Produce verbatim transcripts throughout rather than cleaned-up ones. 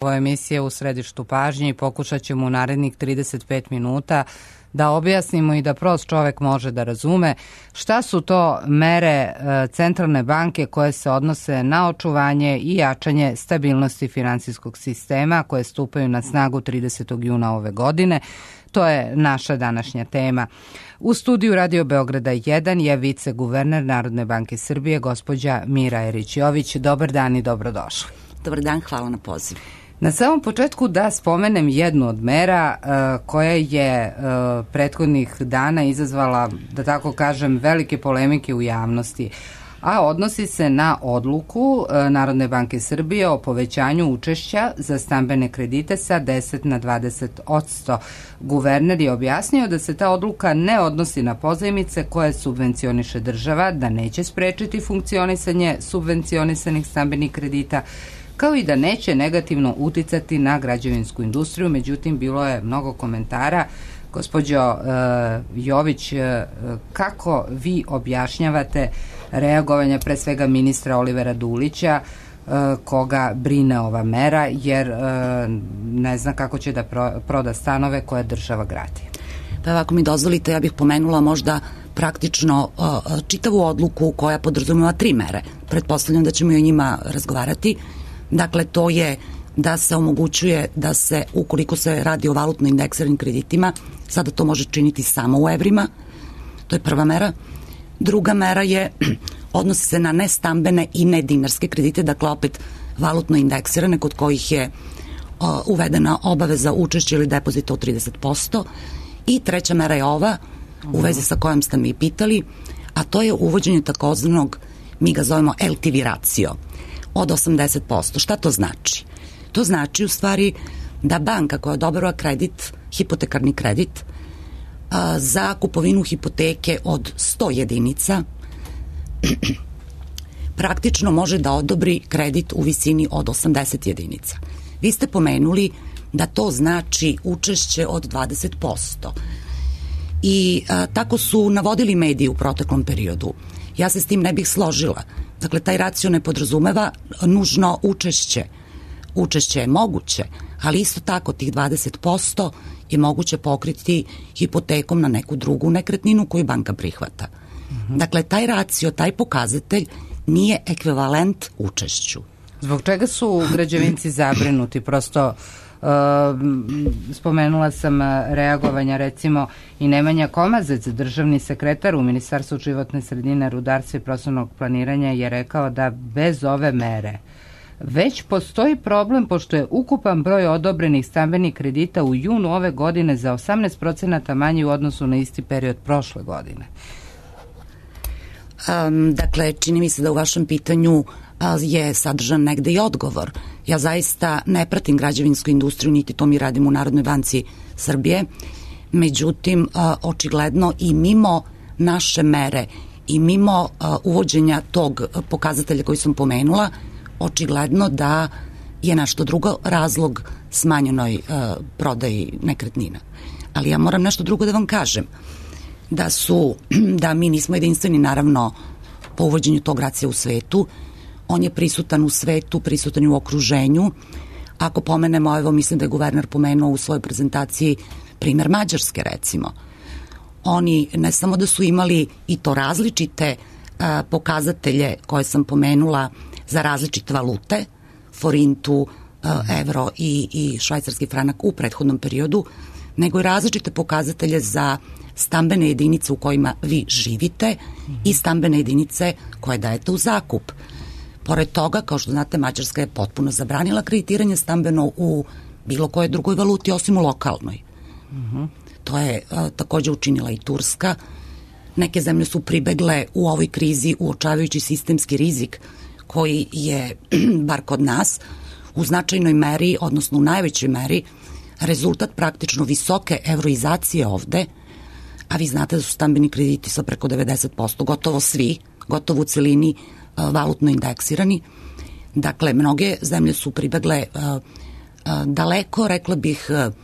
Ovo emisija U središtu pažnje i pokušat ćemo u narednih trideset pet minuta da objasnimo i da prost čovek može da razume šta su to mere centralne banke koje se odnose na očuvanje i jačanje stabilnosti finansijskog sistema koje stupaju na snagu tridesetog juna ove godine. To je naša današnja tema. U studiju Radio Beograda jedan je viceguverner Narodne banke Srbije, gospođa Mira Erić-Jović. Dobar dan i dobrodošli. Dobar dan, hvala na pozivu. Na samom početku da spomenem jednu od mera uh, koja je uh, prethodnih dana izazvala, da tako kažem, velike polemike u javnosti, a odnosi se na odluku uh, Narodne banke Srbije o povećanju učešća za stambene kredite sa deset na dvadeset posto. Guverner je objasnio da se ta odluka ne odnosi na pozajmice koje subvencioniše država, da neće sprečiti funkcionisanje subvencionisanih stambenih kredita, kao i da neće negativno uticati na građevinsku industriju. Međutim, bilo je mnogo komentara. Gospođo uh, Jović, uh, kako vi objašnjavate reagovanje pre svega ministra Olivera Dulića, uh, koga brine ova mera, jer uh, ne zna kako će da pro, proda stanove koje država gradi? Pa ako mi dozvolite, ja bih pomenula možda praktično uh, čitavu odluku koja podrazumeva tri mere. Pretpostavljam da ćemo i o njima razgovarati. Dakle, to je da se omogućuje da se, ukoliko se radi o valutno indeksiranim kreditima, sada to može činiti samo u evrima. To je prva mera. Druga mera je, odnosi se na nestambene i nedinarske kredite, dakle opet valutno indeksirane, kod kojih je o, uvedena obaveza učešća ili depozita od trideset posto. I treća mera je ova, u vezi sa kojom ste mi pitali, a to je uvođenje takozvanog, mi ga zovemo L T V ratio, od osamdeset posto. Šta to znači? To znači u stvari da banka koja odobrava kredit, hipotekarni kredit, a, za kupovinu hipoteke od sto jedinica praktično može da odobri kredit u visini od osamdeset jedinica. Vi ste pomenuli da to znači učešće od dvadeset posto. I a, tako su navodili mediji u proteklom periodu. Ja se s tim ne bih složila. Dakle, taj racio ne podrazumeva nužno učešće. Učešće je moguće, ali isto tako tih dvadeset posto je moguće pokriti hipotekom na neku drugu nekretninu koju banka prihvata. Mm-hmm. Dakle, taj racio, taj pokazatelj nije ekvivalent učešću. Zbog čega su građevinci zabrinuti? Prosto Uh, spomenula sam reagovanja recimo i Nemanja Komazec, državni sekretar u Ministarstvu životne sredine, rudarstva i prostornog planiranja, je rekao da bez ove mere već postoji problem, pošto je ukupan broj odobrenih stambenih kredita u junu ove godine za osamnaest procenata manji u odnosu na isti period prošle godine. Um, dakle, čini mi se da u vašem pitanju je sadržan negde i odgovor. Ja zaista ne pratim građevinsku industriju, niti to mi radimo u Narodnoj banci Srbije. Međutim, očigledno i mimo naše mere i mimo uvođenja tog pokazatelja koji sam pomenula, očigledno da je nešto drugo razlog smanjenoj prodaji nekretnina. Ali ja moram nešto drugo da vam kažem. Da su, da mi nismo jedinstveni naravno po uvođenju tog racija u svetu. On je prisutan u svetu, prisutan u okruženju. Ako pomenemo, evo mislim da je guverner pomenuo u svojoj prezentaciji primer Mađarske recimo. Oni ne samo da su imali i to različite a, pokazatelje koje sam pomenula za različite valute, forintu, a, evro i, i švajcarski franak u prethodnom periodu, nego i različite pokazatelje za stambene jedinice u kojima vi živite i stambene jedinice koje dajete u zakup. Pored toga, kao što znate, Mađarska je potpuno zabranila kreditiranje stambeno u bilo kojoj drugoj valuti osim u lokalnoj. Uh-huh. To je a, takođe učinila i Turska. Neke zemlje su pribegle u ovoj krizi uočavajući sistemski rizik koji je, bar kod nas, u značajnoj meri, odnosno u najvećoj meri, rezultat praktično visoke evroizacije ovde, a vi znate da su stambeni krediti sa preko devedeset posto, gotovo svi, gotovo u celini valutno indeksirani. Dakle, mnoge zemlje su pribegle uh, uh, daleko, rekla bih, uh,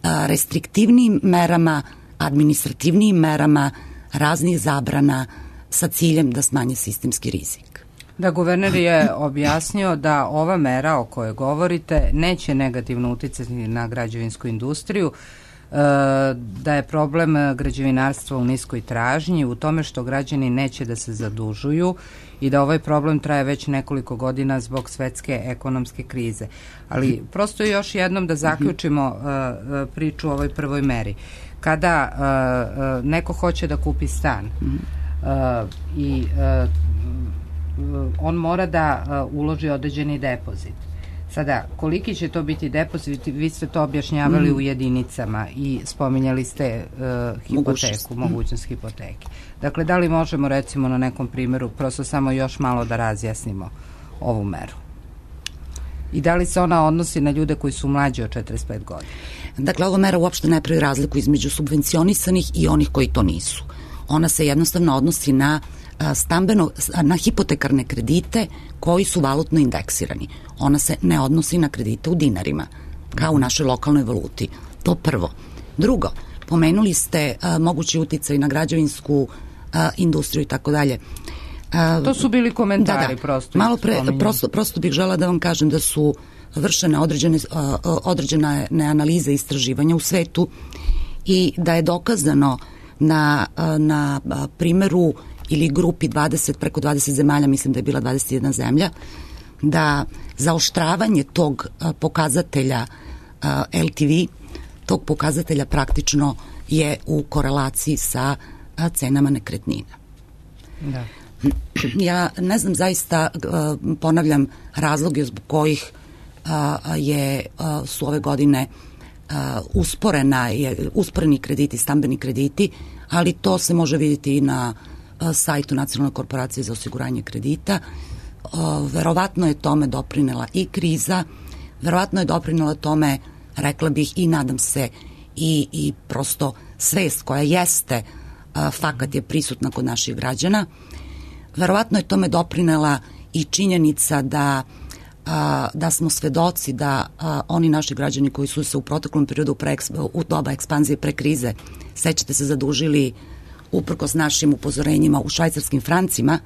restriktivnijim merama, administrativnijim merama, raznih zabrana sa ciljem da smanje sistemski rizik. Da, guverner je objasnio da ova mera o kojoj govorite neće negativno uticati na građevinsku industriju, da je problem građevinarstva u niskoj tražnji, u tome što građani neće da se zadužuju i da ovaj problem traje već nekoliko godina zbog svetske ekonomske krize. Ali prosto još jednom da zaključimo priču o ovoj prvoj meri. Kada neko hoće da kupi stan i on mora da uloži određeni depozit. Sada, koliki će to biti depozit, vi ste to objašnjavali mm. u jedinicama i spominjali ste uh, hipoteku, mogućnost, mogućnost hipoteke. Dakle, da li možemo recimo na nekom primjeru prosto samo još malo da razjasnimo ovu meru? I da li se ona odnosi na ljude koji su mlađi od četrdeset pet godina? Dakle, ova mera uopšte ne pravi razliku između subvencionisanih i onih koji to nisu. Ona se jednostavno odnosi na stambeno, na hipotekarne kredite koji su valutno indeksirani. Ona se ne odnosi na kredite u dinarima, kao u našoj lokalnoj valuti. To prvo. Drugo, pomenuli ste a, mogući uticaj na građevinsku a, industriju i tako dalje. To su bili komentari, da, da. prosto. Malo pre, prosto, prosto bih žela da vam kažem da su vršene određene, a, određene analize i istraživanja u svetu i da je dokazano na, a, na a, primeru ili grupi dvadeset, preko dvadeset zemalja, mislim da je bila dvadeset jedna zemlja, da zaoštravanje tog a, pokazatelja a, L T V, tog pokazatelja praktično je u korelaciji sa a, cenama nekretnina. Da. Ja ne znam zaista, a, ponavljam, razloge zbog kojih a, je, a, su ove godine a, usporena, je, usporeni krediti, stambeni krediti, ali to se može vidjeti i na sajtu Nacionalne korporacije za osiguranje kredita. Verovatno je tome doprinela i kriza, verovatno je doprinela tome, rekla bih i nadam se, i, i prosto svest koja jeste, fakat je prisutna kod naših građana. Verovatno je tome doprinela i činjenica da, da smo svedoci da oni naši građani koji su se u proteklom periodu pre, u doba ekspanzije pre krize, sećate se, zadužili uprkos našim upozorenjima u švajcarskim francima.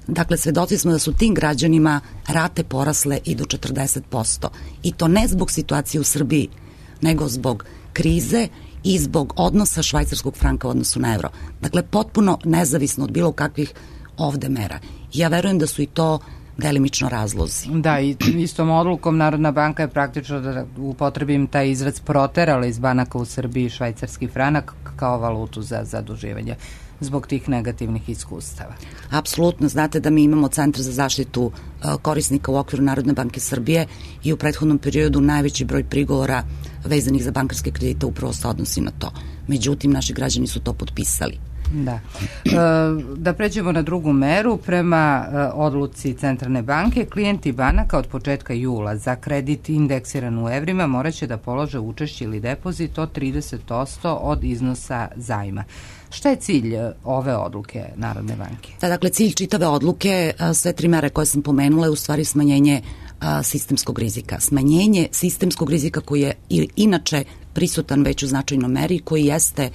Dakle, svedoci smo da su tim građanima rate porasle i do četrdeset posto. I to ne zbog situacije u Srbiji, nego zbog krize i zbog odnosa švajcarskog franka u odnosu na evro. Dakle, potpuno nezavisno od bilo kakvih ovde mera. Ja verujem da su i to delimično razlozi. Da, i istom odlukom Narodna banka je praktično, da upotrebim taj izraz, proterala iz banaka u Srbiji švajcarski franak kao valutu za zaduživanje zbog tih negativnih iskustava. Apsolutno, znate da mi imamo Centar za zaštitu uh, korisnika u okviru Narodne banke Srbije i u prethodnom periodu najveći broj prigovora vezanih za bankarske kredite upravo se odnosi na to. Međutim, naši građani su to potpisali. Da. E, da pređemo na drugu meru, prema e, odluci Centralne banke, klijenti banaka od početka jula za kredit indeksiran u evrima moraće da polože učešće ili depozit od trideset posto od iznosa zajma. Šta je cilj ove odluke Narodne banke? Da, dakle, cilj čitave odluke, sve tri mere koje sam pomenula, je u stvari smanjenje a, sistemskog rizika. Smanjenje sistemskog rizika koji je inače prisutan već u značajnoj meri, koji jeste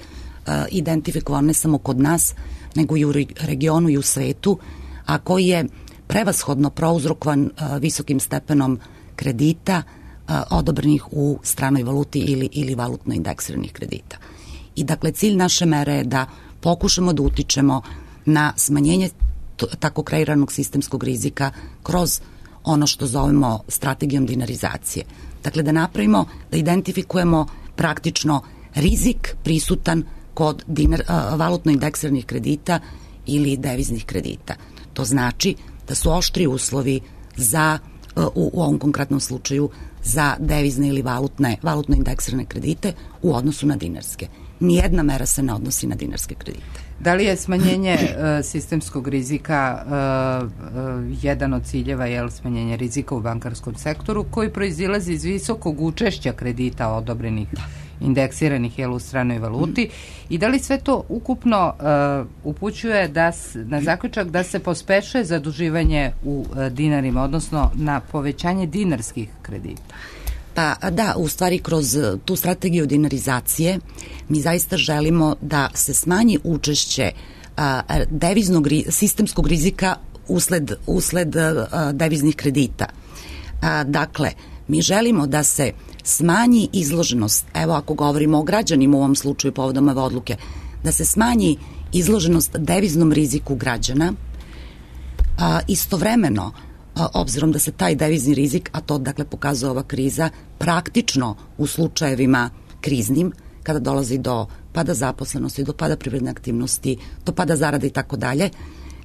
identifikovan ne samo kod nas, nego i u regionu i u svetu, a koji je prevashodno prouzrokovan visokim stepenom kredita odobrenih u stranoj valuti ili, ili valutno indeksiranih kredita. I dakle, cilj naše mere je da pokušamo da utičemo na smanjenje tako kreiranog sistemskog rizika kroz ono što zovemo strategijom dinarizacije. Dakle, da napravimo, da identifikujemo praktično rizik prisutan kod dinar, a, valutno indeksiranih kredita ili deviznih kredita. To znači da su oštri uslovi za, u, u ovom konkretnom slučaju, za devizne ili valutne, valutno indeksirane kredite u odnosu na dinarske. Nijedna mera se ne odnosi na dinarske kredite. Da li je smanjenje uh, sistemskog rizika uh, uh, jedan od ciljeva, je smanjenje rizika u bankarskom sektoru, koji proizilazi iz visokog učešća kredita odobrenih indeksiranih jel, u stranoj valuti, i da li sve to ukupno uh, upućuje da s, na zaključak da se pospešuje zaduživanje u uh, dinarima, odnosno na povećanje dinarskih kredita? Pa da, u stvari kroz tu strategiju dinarizacije mi zaista želimo da se smanji učešće a, deviznog sistemskog rizika usled, usled a, deviznih kredita. A, dakle, mi želimo da se smanji izloženost, evo ako govorimo o građanima u ovom slučaju povodom ove odluke, da se smanji izloženost deviznom riziku građana, a, istovremeno, a, obzirom da se taj devizni rizik, a to dakle pokazuje ova kriza, praktično u slučajevima kriznim, kada dolazi do pada zaposlenosti, do pada privredne aktivnosti, do pada zarada i tako dalje,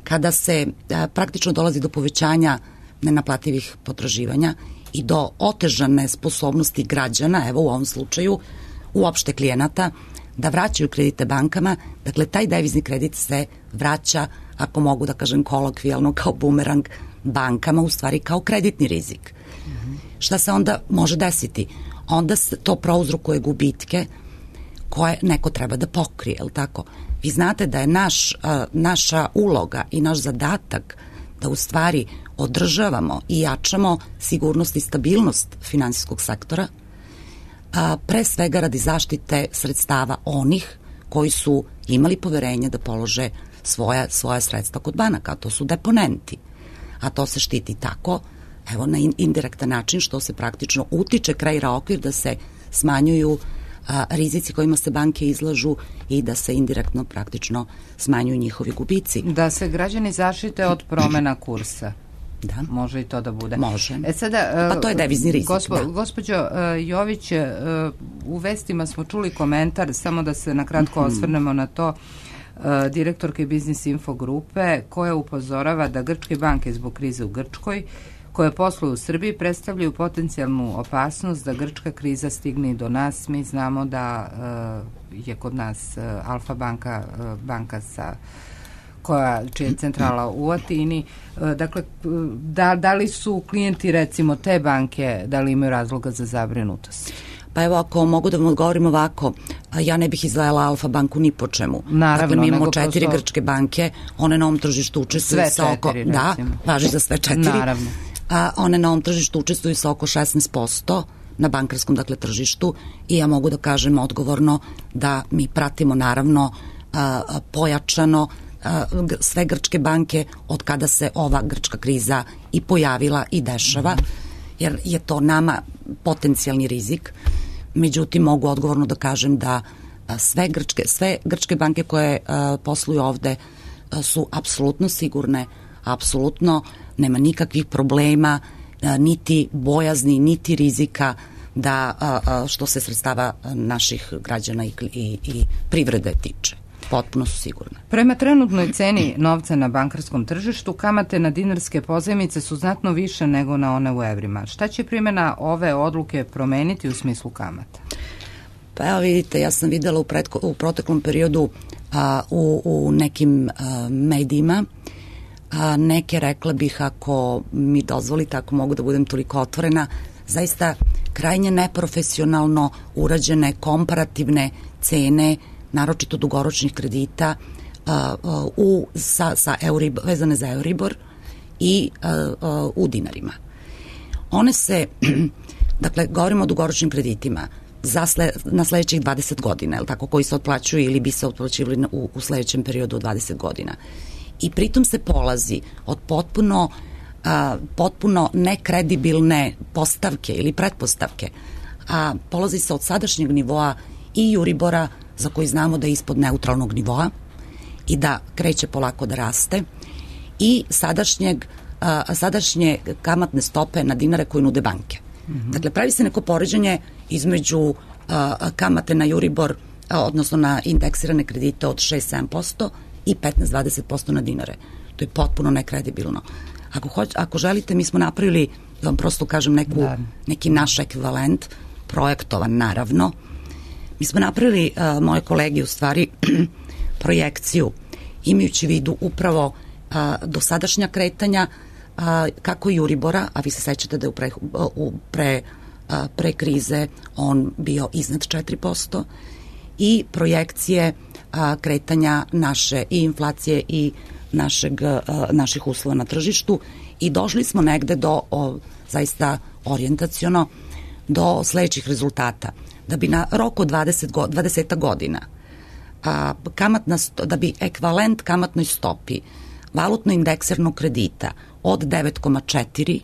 kada se a, praktično dolazi do povećanja nenaplativih potraživanja i do otežane sposobnosti građana, evo u ovom slučaju, uopšte klijenata, da vraćaju kredite bankama, dakle taj devizni kredit se vraća, ako mogu da kažem kolokvijalno, kao bumerang bankama, u stvari kao kreditni rizik. Mm-hmm. Šta se onda može desiti? Onda se to prouzrokuje gubitke koje neko treba da pokrije, je li tako? Vi znate da je naš, a, naša uloga i naš zadatak da u stvari održavamo i jačamo sigurnost i stabilnost finansijskog sektora, a, pre svega radi zaštite sredstava onih koji su imali poverenje da polože svoja, svoja sredstva kod banaka, a to su deponenti. A to se štiti tako, evo na indirektan način, što se praktično utiče, kreira okvir da se smanjuju a, rizici kojima se banke izlažu i da se indirektno praktično smanjuju njovi gubici. Da se građani zaštite od promena kursa. Da. Može i to da bude. Može. E sada, pa to je devizni rizik. Gospo, da. Gospođo uh, Jović, uh, u vestima smo čuli komentar, samo da se nakratko mm-hmm. osvrnemo na to, uh, direktorke Biznis Info grupe, koja upozorava da grčke banke zbog krize u Grčkoj, koje posluju u Srbiji, predstavljaju potencijalnu opasnost da grčka kriza stigne i do nas. Mi znamo da uh, je kod nas uh, Alfa banka, uh, banka sa koja, čija je centrala u Atini. Dakle, da, da li su klijenti recimo te banke, da li imaju razloga za zabrinutost? Pa evo, ako mogu da vam odgovorim ovako, ja ne bih izdvajala Alfa banku ni po čemu. Naravno, dakle, mi imamo četiri prosto... grčke banke, one na ovom tržištu učestvuju sve sa oko... četiri, da, recimo. važi za sve četiri. Naravno. A one na ovom tržištu učestvuju sa oko šesnaest posto na bankarskom, dakle, tržištu, i ja mogu da kažem odgovorno da mi pratimo naravno a, a, pojačano sve grčke banke od kada se ova grčka kriza i pojavila i dešava, jer je to nama potencijalni rizik. Međutim, mogu odgovorno da kažem da sve grčke, sve grčke banke koje posluju ovde su apsolutno sigurne, apsolutno nema nikakvih problema, niti bojazni, niti rizika da što se sredstava naših građana i, i, i privrede tiče. Potpuno su sigurne. Prema trenutnoj ceni novca na bankarskom tržištu, kamate na dinarske pozajmice su znatno više nego na one u evrima. Šta će primjena ove odluke promeniti u smislu kamata? Pa evo vidite, ja sam videla u, pretko, u proteklom periodu a, u, u nekim a, medijima a, neke, rekla bih, ako mi dozvolite, ako mogu da budem toliko otvorena, zaista krajnje neprofesionalno urađene komparativne cene, naročito dugoročnih kredita a, a, u, sa, sa Euribor, vezane za Euribor i a, a, u dinarima. One se, dakle, govorimo o dugoročnim kreditima za sle, na sledećih dvadeset godina, je li tako, koji se otplaćuju ili bi se otplaćivali u, u sledećem periodu od dvadeset godina. I pritom se polazi od potpuno, a, potpuno nekredibilne postavke ili pretpostavke, a polazi se od sadašnjeg nivoa i Euribora, za koji znamo da je ispod neutralnog nivoa i da kreće polako da raste, i sadašnjeg, a, sadašnje kamatne stope na dinare koje nude banke. Mm-hmm. Dakle, pravi se neko poređenje između a, kamate na Euribor, a, odnosno na indeksirane kredite od šest do sedam posto i petnaest do dvadeset posto na dinare. To je potpuno nekredibilno. Ako, hoć, ako želite, mi smo napravili, da vam prosto kažem, neku, neki naš ekvivalent, projektovan naravno. Mi smo napravili, uh, moje kolege, u stvari, projekciju, imajući vidu upravo uh, dosadašnja kretanja, uh, kako i Euribora, a vi se sećate da je u pre, u pre, uh, pre krize on bio iznad četiri posto, i projekcije uh, kretanja naše i inflacije i našeg, uh, naših uslova na tržištu, i došli smo negde do, o, zaista orijentaciono, do sledećih rezultata. Da bi na roku dvadeset, dvadeset godina a, kamatna sto, da bi ekvivalent kamatnoj stopi valutno indeksiranog kredita od devet zarez četiri,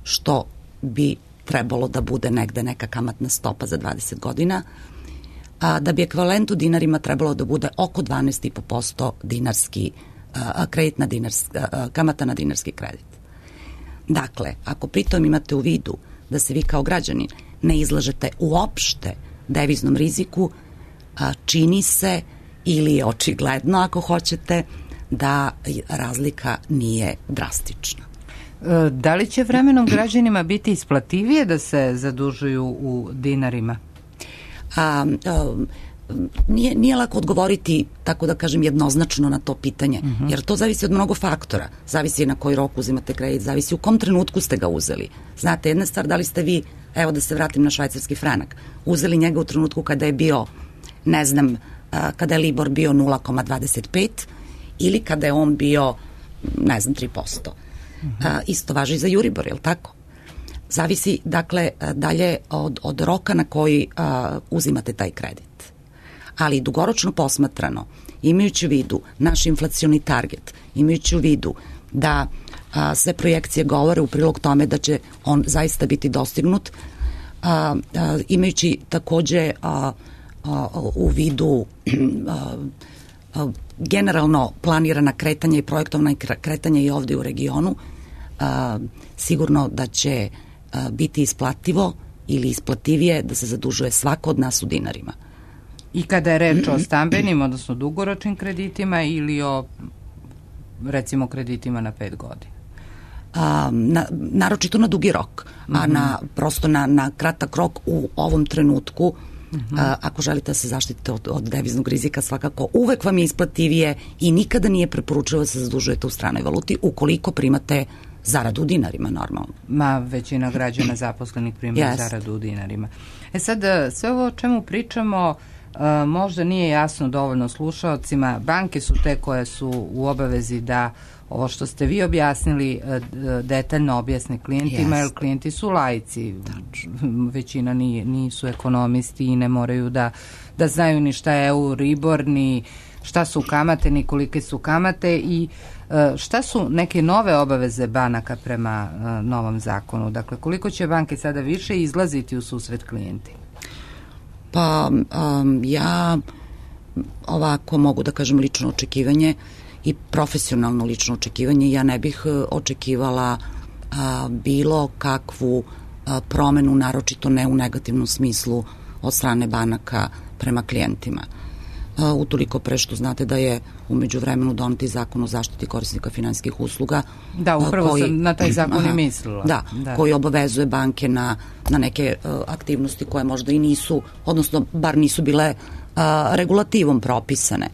što bi trebalo da bude negde neka kamatna stopa za dvadeset godina, a da bi ekvivalent u dinarima trebalo da bude oko dvanaest zarez pet posto dinarski, a, kredit na dinarski, a, kamata na dinarski kredit. Dakle, ako pritom imate u vidu da se vi kao građanin ne izlažete uopšte deviznom riziku, a, čini se, ili je očigledno ako hoćete, da razlika nije drastična. Da li će vremenom građanima biti isplativije da se zadužuju u dinarima? A, a, nije, nije lako odgovoriti, tako da kažem, jednoznačno na to pitanje, uh-huh. jer to zavisi od mnogo faktora. Zavisi na koji rok uzimate kredit, zavisi u kom trenutku ste ga uzeli. Znate, jedna stvar, da li ste vi, evo da se vratim na švajcarski franak, uzeli njega u trenutku kada je bio, ne znam, a, kada je Libor bio nula zarez dvadeset pet ili kada je on bio, ne znam, tri posto. Uh-huh. A, isto važi i za Euribor, je li tako? Zavisi, dakle, dalje od, od roka na koji a, uzimate taj kredit. Ali dugoročno posmatrano, imajući u vidu naš inflacioni target, imajući u vidu da a, sve projekcije govore u prilog tome da će on zaista biti dostignut, a, a, imajući takođe a, a, u vidu a, a, generalno planirana kretanja i projektovna kretanja i ovde u regionu, a, sigurno da će a, biti isplativo ili isplativije da se zadužuje svako od nas u dinarima. I kada je reč o stambenim, odnosno dugoročnim kreditima ili o, recimo, kreditima na pet godina? A, na, naročito na dugi rok, a mm-hmm. na, prosto na, na kratak rok u ovom trenutku, mm-hmm. a, ako želite da se zaštitite od, od deviznog rizika, svakako uvek vam je isplativije i nikada nije preporučivo da se zadužujete u stranoj valuti ukoliko primate zaradu u dinarima, normalno. Ma, većina građana zaposlenih prima yes. zaradu u dinarima. E sad, sve ovo o čemu pričamo Uh, možda nije jasno dovoljno slušaocima. Banke su te koje su u obavezi da ovo što ste vi objasnili uh, detaljno objasne klijentima, yes. jer klijenti su laici. Većina nije, nisu ekonomisti i ne moraju da, da znaju ni šta je Euribor, ni šta su kamate, ni kolike su kamate i uh, šta su neke nove obaveze banaka prema uh, novom zakonu. Dakle, koliko će banke sada više izlaziti u susret klijenti? Pa um, ja ovako mogu da kažem lično očekivanje i profesionalno lično očekivanje. Ja ne bih očekivala a, bilo kakvu a, promenu, naročito ne u negativnom smislu od strane banaka prema klijentima. A, utoliko pre što znate da je umeđu vremenu doneti zakon o zaštiti korisnika finansijskih usluga. Da, upravo koji, sam na taj zakon aha, i mislila. Da, da, koji obavezuje banke na, na neke uh, aktivnosti koje možda i nisu, odnosno bar nisu bile uh, regulativom propisane,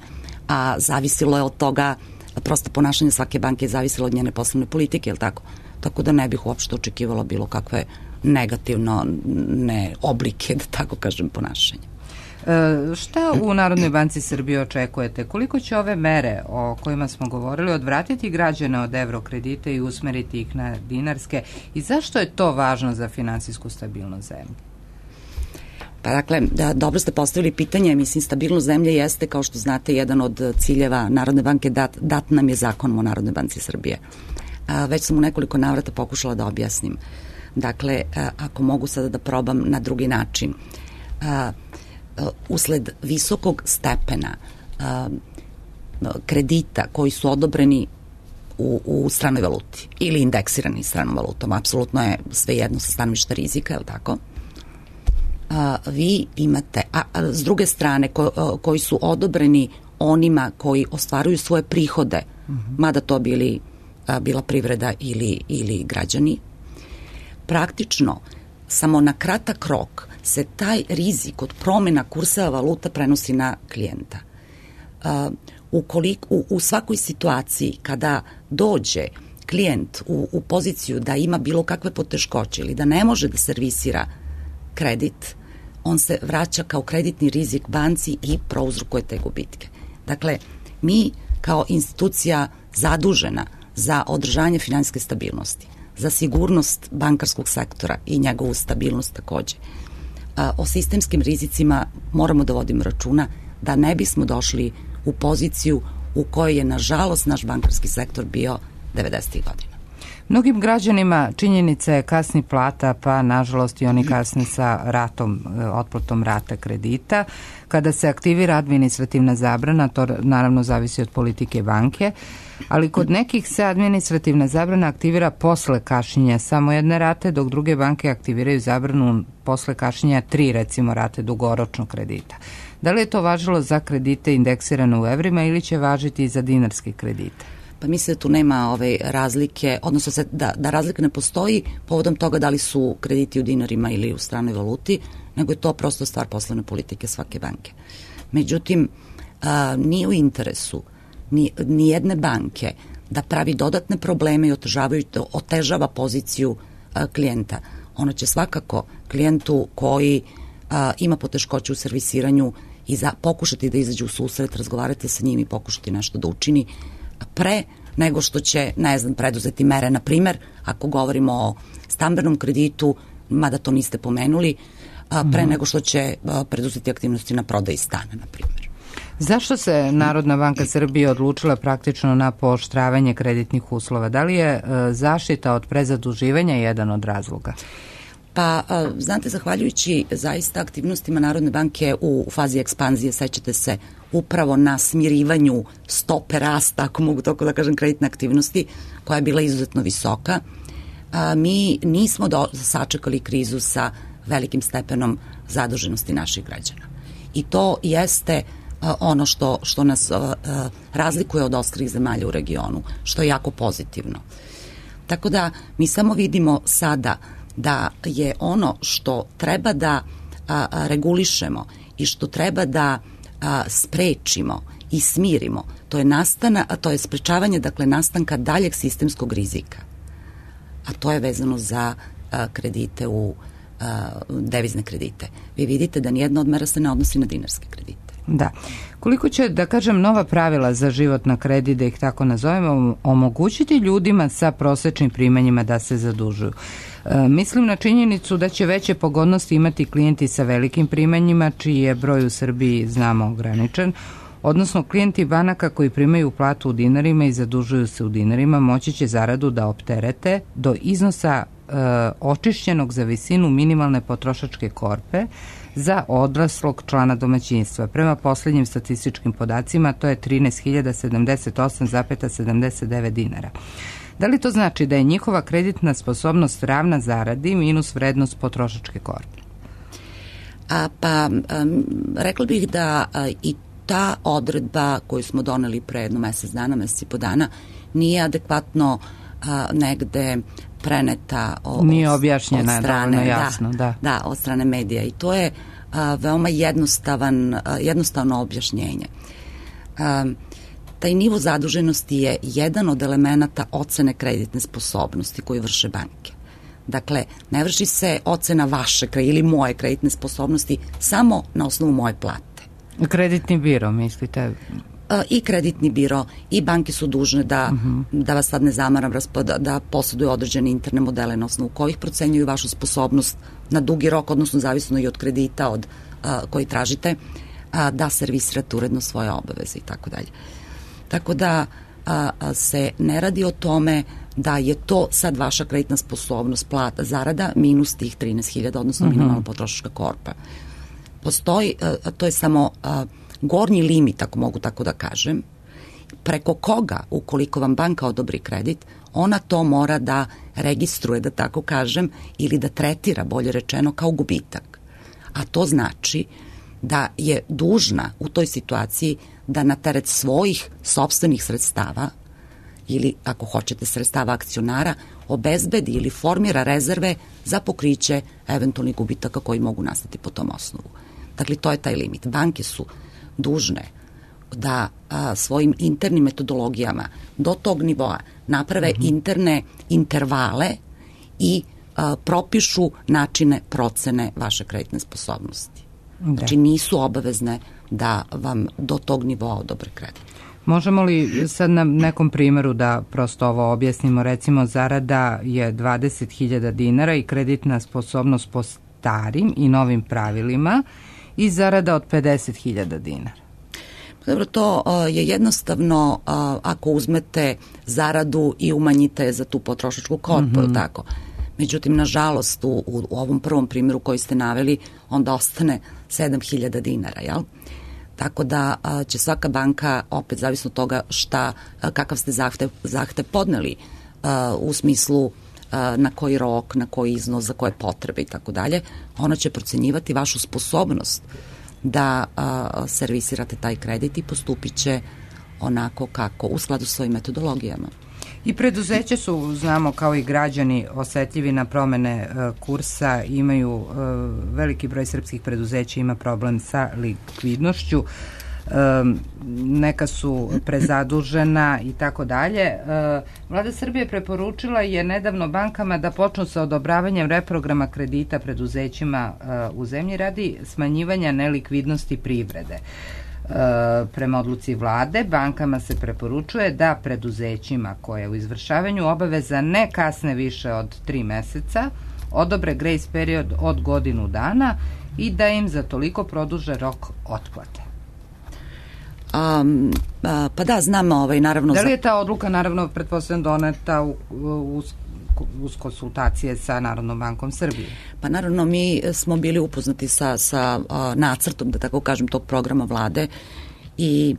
a zavisilo je od toga, prosto ponašanje svake banke je zavisilo od njene poslovne politike, je li tako? Tako da ne bih uopšte očekivala bilo kakve negativno ne oblike, da tako kažem, ponašanja. E, šta u Narodnoj banci Srbije očekujete? Koliko će ove mere o kojima smo govorili odvratiti građane od evro kredita i usmeriti ih na dinarske i zašto je to važno za finansijsku stabilnost zemlje? Pa dakle, da, dobro ste postavili pitanje, mislim stabilnost zemlje jeste, kao što znate, jedan od ciljeva Narodne banke, dat, dat nam je zakonom o Narodnoj banci Srbije. A, već sam u nekoliko navrata pokušala da objasnim. Dakle, a, ako mogu sada da probam na drugi način, a, usled visokog stepena a, kredita koji su odobreni u, u stranoj valuti ili indeksirani stranom valutom, apsolutno je sve jedno sa stanovišta rizika, je li tako? A, vi imate, a, a s druge strane ko, a, koji su odobreni onima koji ostvaruju svoje prihode, mm-hmm. mada to bili, a, bila privreda ili, ili građani, praktično samo na kratak rok se taj rizik od promjena kursa valuta prenosi na klijenta. Uh, ukoliko, u, u svakoj situaciji kada dođe klijent u, u poziciju da ima bilo kakve poteškoće ili da ne može da servisira kredit, on se vraća kao kreditni rizik banci i prouzrokuje te gubitke. Dakle, mi kao institucija zadužena za održanje finansijske stabilnosti, za sigurnost bankarskog sektora i njegovu stabilnost takođe, a, o sistemskim rizicima moramo da vodimo računa da ne bismo došli u poziciju u kojoj je nažalost naš bankarski sektor bio devedesetih godina. Mnogim građanima činjenica je kasni plata, pa nažalost i oni kasni sa ratom, otplatom rata kredita. Kada se aktivira administrativna zabrana, to naravno zavisi od politike banke, ali kod nekih se administrativna zabrana aktivira posle kašnjenja samo jedne rate, dok druge banke aktiviraju zabranu posle kašnjenja tri, recimo, rate dugoročnog kredita. Da li je to važilo za kredite indeksirane u evrima ili će važiti i za dinarske kredite? Pa mislim da tu nema ove razlike, odnosno se, da, da razlika ne postoji povodom toga da li su krediti u dinarima ili u stranoj valuti, nego je to prosto stvar poslovne politike svake banke. Međutim, a, nije u interesu ni, ni jedne banke da pravi dodatne probleme i otežavaju, otežava poziciju a, klijenta. Ono će svakako klijentu koji a, ima poteškoće u servisiranju i za, pokušati da izađe u susret, razgovarati sa njim i pokušati nešto da učini pre nego što će, ne znam, preduzeti mere. Na primer, ako govorimo o stambenom kreditu, mada to niste pomenuli, pre nego što će preduzeti aktivnosti na prodaji stana, na primjer. Zašto se Narodna banka Srbije odlučila praktično na pooštravanje kreditnih uslova? Da li je zaštita od prezaduživanja jedan od razloga? Pa, znate, zahvaljujući zaista aktivnostima Narodne banke u fazi ekspanzije, sećate se, upravo na smirivanju stope rasta, ako mogu tako da kažem, kreditne aktivnosti, koja je bila izuzetno visoka, a, mi nismo do, sačekali krizu sa velikim stepenom zaduženosti naših građana. I to jeste a, ono što, što nas a, a, razlikuje od ostalih zemalja u regionu, što je jako pozitivno. Tako da mi samo vidimo sada da je ono što treba da a, a, regulišemo i što treba da a, sprečimo i smirimo, to je nastana, a to je sprečavanje, dakle, nastanka daljeg sistemskog rizika. A to je vezano za a, kredite u a, devizne kredite. Vi vidite da nijedna od mera se ne odnosi na dinarske kredite. Da. Koliko će, da kažem, nova pravila za život na kredit, da ih tako nazovemo, omogućiti ljudima sa prosečnim primanjima da se zadužuju? E, mislim na činjenicu da će veće pogodnosti imati klijenti sa velikim primanjima, čiji je broj u Srbiji, znamo, ograničen, odnosno klijenti banaka koji primaju platu u dinarima i zadužuju se u dinarima moći će zaradu da opterete do iznosa e, očišćenog za visinu minimalne potrošačke korpe za odraslog člana domaćinstva. Prema poslednjim statističkim podacima to je trinaest hiljada sedamdeset osam zarez sedamdeset devet dinara. Da li to znači da je njihova kreditna sposobnost ravna zaradi minus vrednost potrošačke korpe? A, pa, um, rekla bih da a, i ta odredba koju smo doneli pre jedno mesec dana, mesec i po dana, nije adekvatno a, negde preneta o, nije objašnjena, od strane, dovoljno jasno, da, da. Da, od strane medija i to je a, veoma jednostavan, a, jednostavno objašnjenje. A, taj nivo zaduženosti je jedan od elemenata ocene kreditne sposobnosti koju vrše banke. Dakle, ne vrši se ocena vaše ili moje kreditne sposobnosti samo na osnovu moje plate. Kreditni biro, mislite? I kreditni biro i banke su dužne da, uh-huh. da vas sad ne zamaram, da, da posjeduju određene interne modele na osnovu kojih procenjuju vašu sposobnost na dugi rok, odnosno zavisno i od kredita od, a, koji tražite, a, da servisirate uredno svoje obaveze i tako dalje. Tako da a, a, se ne radi o tome da je to sad vaša kreditna sposobnost, plata, zarada, minus tih trinaest hiljada, odnosno uh-huh. minimalna potrošačka korpa. Postoji, a, to je samo a, gornji limit, ako mogu tako da kažem, preko koga, ukoliko vam banka odobri kredit, ona to mora da registruje, da tako kažem, ili da tretira, bolje rečeno, kao gubitak. A to znači da je dužna u toj situaciji da na teret svojih sopstvenih sredstava ili, ako hoćete, sredstava akcionara, obezbedi ili formira rezerve za pokriće eventualnih gubitaka koji mogu nastati po tom osnovu. Dakle, to je taj limit. Banke su dužne da a, svojim internim metodologijama do tog nivoa naprave mm-hmm. interne intervale i a, propišu načine procene vaše kreditne sposobnosti. Da. Znači, nisu obavezne da vam do tog nivoa odobre kredit. Možemo li sad na nekom primjeru da prosto ovo objasnimo? Recimo, zarada je dvadeset hiljada dinara i kreditna sposobnost po starim i novim pravilima i zarada od pedeset hiljada dinara. Dobro, to je jednostavno ako uzmete zaradu i umanjite za tu potrošačku korpu, mm-hmm. tako. Međutim, nažalost, u, u ovom prvom primjeru koji ste naveli, onda ostane sedam hiljada dinara, jel? Tako da a, će svaka banka, opet zavisno od toga šta, a, kakav ste zahtev, zahtev podneli a, u smislu a, na koji rok, na koji iznos, za koje potrebe i tako dalje, ona će procenjivati vašu sposobnost da a, servisirate taj kredit i postupit će onako kako, u skladu s svojim metodologijama. I preduzeće su, znamo, kao i građani, osetljivi na promene e, kursa, imaju e, veliki broj srpskih preduzeća ima problem sa likvidnošću, e, neka su prezadužena i tako dalje. Vlada Srbije preporučila je nedavno bankama da počnu sa odobravanjem reprograma kredita preduzećima e, u zemlji radi smanjivanja nelikvidnosti privrede. E, prema odluci vlade, bankama se preporučuje da preduzećima koje u izvršavanju obaveza ne kasne više od tri meseca odobre grejs period od godinu dana i da im za toliko produže rok otplate. Um, a, pa da, znamo, ovaj, naravno... Da li je ta odluka, naravno, pretpostavljam doneta u, u, uz konsultacije sa Narodnom bankom Srbije? Pa naravno, mi smo bili upoznati sa, sa a, nacrtom, da tako kažem, tog programa vlade i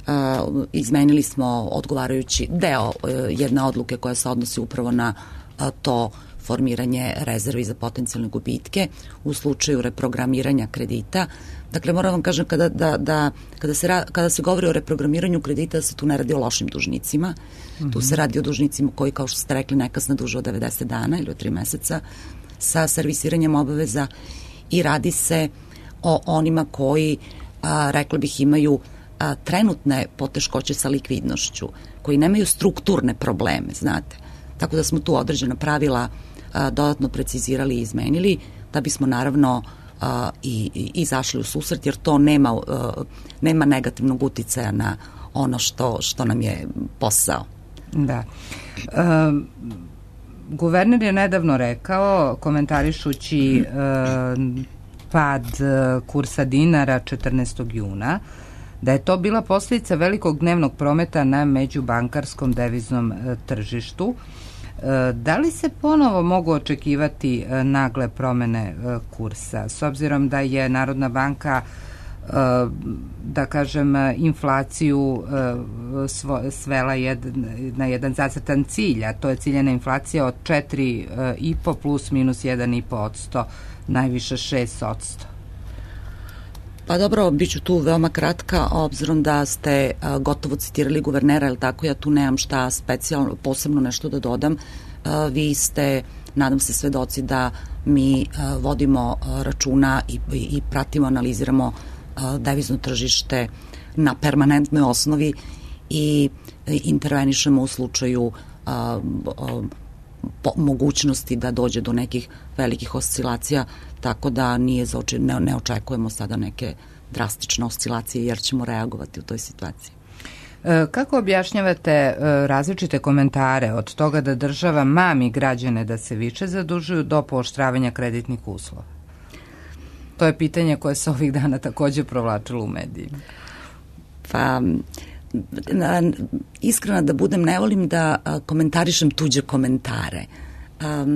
a, izmenili smo odgovarajući deo a, jedne odluke koja se odnosi upravo na a, to formiranje rezervi za potencijalne gubitke u slučaju reprogramiranja kredita. Dakle, moram vam kažem, kada, da, da, kada, se, ra, kada se govori o reprogramiranju kredita, da se tu ne radi o lošim dužnicima. Mm-hmm. Tu se radi o dužnicima koji, kao što ste rekli, nekasne duže od devedeset dana ili od tri meseca sa servisiranjem obaveza i radi se o onima koji, a, rekla bih, imaju a, trenutne poteškoće sa likvidnošću, koji nemaju strukturne probleme, znate. Tako da smo tu određena pravila a, dodatno precizirali i izmenili, da bismo naravno a, i, i izašli u susret, jer to nema, a, nema negativnog uticaja na ono što, što nam je posao. Da. Um, guverner je nedavno rekao, komentarišući um, pad kursa dinara četrnaestog juna, da je to bila posljedica velikog dnevnog prometa na međubankarskom deviznom tržištu. Da li se ponovo mogu očekivati nagle promene kursa, s obzirom da je Narodna banka, da kažem, inflaciju svela na jedan zacrtan cilj, a to je ciljena inflacija od četiri i po plus minus jedan i po odsto, najviše šest odsto? Pa dobro, bit ću tu veoma kratka, obzirom da ste a, gotovo citirali guvernera, ili tako, ja tu nemam šta specijalno, posebno nešto da dodam. A, vi ste, nadam se, svedoci da mi a, vodimo a, računa i, i, i pratimo, analiziramo a, devizno tržište na permanentnoj osnovi i, i intervenišemo u slučaju a, a, po, mogućnosti da dođe do nekih velikih oscilacija, tako da nije za oči, ne, ne očekujemo sada neke drastične oscilacije, jer ćemo reagovati u toj situaciji. E, kako objašnjavate e, različite komentare od toga da država mami građane da se više zadužuju do pooštravanja kreditnih uslova? To je pitanje koje se ovih dana takođe provlačilo u medijima. Pa, na, iskreno da budem, ne volim da a, komentarišem tuđe komentare. A,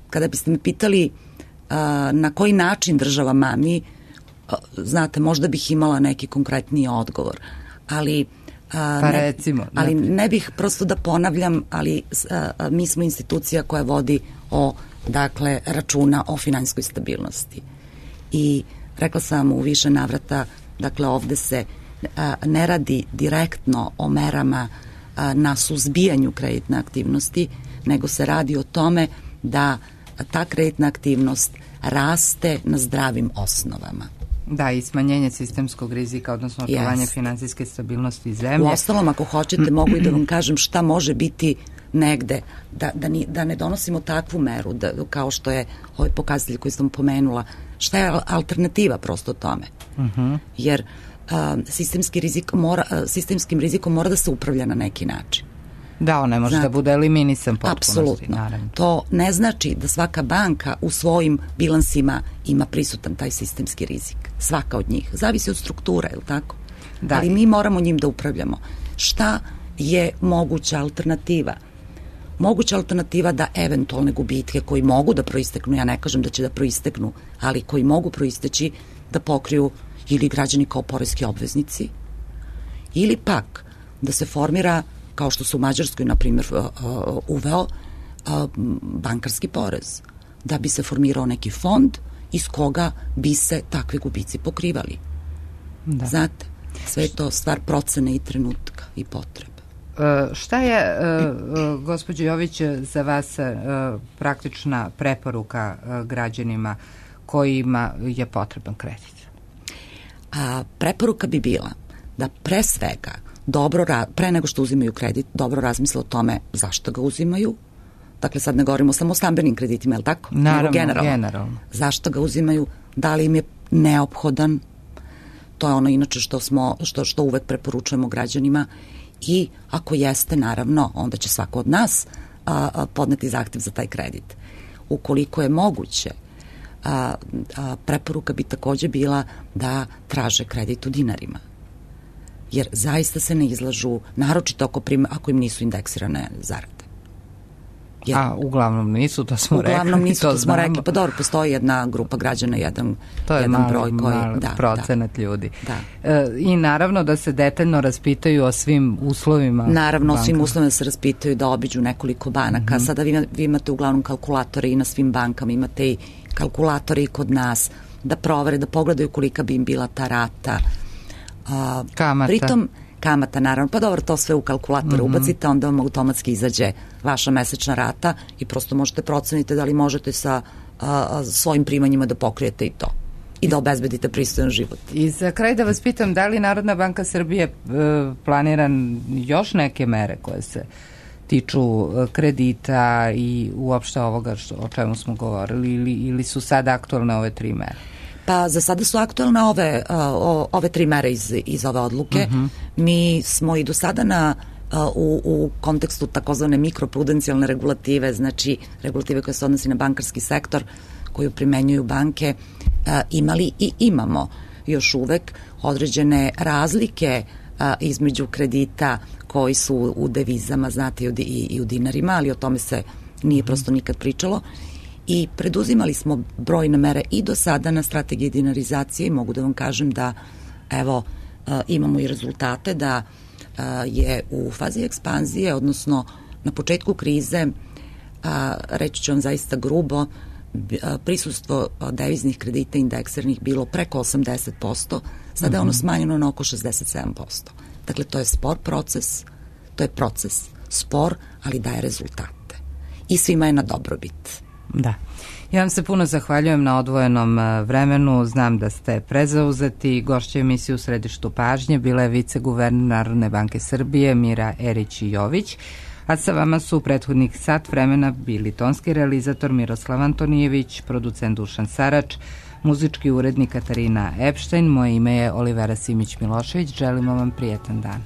kada biste me pitali a, na koji način država mami, a, znate, možda bih imala neki konkretniji odgovor, ali a, pa ne, recimo, ali ne bih prosto da ponavljam, ali a, a, mi smo institucija koja vodi o, dakle, računa o finansijskoj stabilnosti. I rekla sam u više navrata, dakle, ovde se a, ne radi direktno o merama a, na suzbijanju kreditne aktivnosti, nego se radi o tome da ta kreditna aktivnost raste na zdravim osnovama. Da, i smanjenje sistemskog rizika, odnosno očuvanje yes. finansijske stabilnosti zemlje. U ostalom, ako hoćete, mogu i da vam kažem šta može biti negde, da, da, ni, da ne donosimo takvu meru, da, kao što je ovaj pokazatelj koji sam pomenula, šta je alternativa prosto tome. Uh-huh. Jer a, sistemski rizik mora, a, sistemskim rizikom mora da se upravlja na neki način. Da, on ne može Znate, da bude eliminisan potpunosti. Apsolutno. Naravno. To ne znači da svaka banka u svojim bilansima ima prisutan taj sistemski rizik. Svaka od njih. Zavisi od struktura, je li tako? da. Ali mi moramo njim da upravljamo. Šta je moguća alternativa? Moguća alternativa da eventualne gubitke koji mogu da proisteknu, ja ne kažem da će da proisteknu, ali koji mogu proisteći da pokriju ili građani kao poreski obveznici, ili pak da se formira, kao što su u Mađarskoj, na primjer, uveo bankarski porez, da bi se formirao neki fond iz koga bi se takve gubici pokrivali. Da. Znate, sve je to stvar procene i trenutka i potrebe. Uh, šta je, uh, gospođo Jović, za vas uh, praktična preporuka uh, građanima kojima je potreban kredit? A, preporuka bi bila da pre svega, dobro, pre nego što uzimaju kredit, dobro razmisle o tome zašto ga uzimaju. Dakle, sad ne govorimo samo o stambenim kreditima, je li tako? Naravno, generalno. generalno. Zašto ga uzimaju, da li im je neophodan, to je ono inače što, smo, što, što uvek preporučujemo građanima, i ako jeste, naravno, onda će svako od nas a, a, podneti zahtev za taj kredit. Ukoliko je moguće, a, a, preporuka bi takođe bila da traže kredit u dinarima. Jer zaista se ne izlažu, naročito ako, prim, ako im nisu indeksirane zarade. Jer, a uglavnom nisu, to smo uglavnom rekli. Uglavnom nisu, to, to smo rekli. Pa dobro, postoji jedna grupa građana, jedan, to je jedan mali, broj koji... mali da, procenat da, ljudi. Da. E, I naravno da se detaljno raspitaju o svim uslovima. Naravno, o svim uslovima se raspitaju, da obiđu nekoliko banaka. Mm-hmm. Sada vi, vi imate uglavnom kalkulatore i na svim bankama, imate i kalkulatore i kod nas, da provere, da pogledaju kolika bi im bila ta rata. A, kamata. Pritom, kamata, naravno, pa dobro, to sve u kalkulatore mm-hmm. ubacite, onda vam automatski izađe vaša mesečna rata i prosto možete proceniti da li možete sa a, a, svojim primanjima da pokrijete i to i da obezbedite pristojan život. I za kraj da vas pitam, da li Narodna banka Srbije e, planira još neke mere koje se tiču kredita i uopšte ovoga što, o čemu smo govorili, ili, ili su sad aktualne ove tri mere? Pa za sada su aktualne ove, uh, ove tri mere iz, iz ove odluke. Uh-huh. Mi smo i do sada na, uh, u, u kontekstu takozvane mikroprudencijalne regulative, znači regulative koje se odnosi na bankarski sektor, koju primenjuju banke, uh, imali i imamo još uvek određene razlike uh, između kredita koji su u devizama, znate, i, i, i u dinarima, ali o tome se nije uh-huh. prosto nikad pričalo. I preduzimali smo brojne mere i do sada na strategiji dinarizacije i mogu da vam kažem da evo imamo i rezultate da je u fazi ekspanzije, odnosno na početku krize, reći ću vam zaista grubo, prisustvo deviznih kredita indeksiranih bilo preko osamdeset posto, sada je ono smanjeno na oko šezdeset sedam posto. Dakle, to je spor proces, to je proces spor, ali daje rezultate. I svima je na dobrobit. Da. Ja vam se puno zahvaljujem na odvojenom vremenu. Znam da ste prezauzeti. Gošća emisije u središtu pažnje bila je viceguverner Narodne banke Srbije Mira Erić-Jović, a sa vama su u prethodnih sat vremena bili tonski realizator Miroslav Antonijević, producent Dušan Sarač, muzički urednik Katarina Epštajn. Moje ime je Olivera Simić-Milošević. Želimo vam prijetan dan.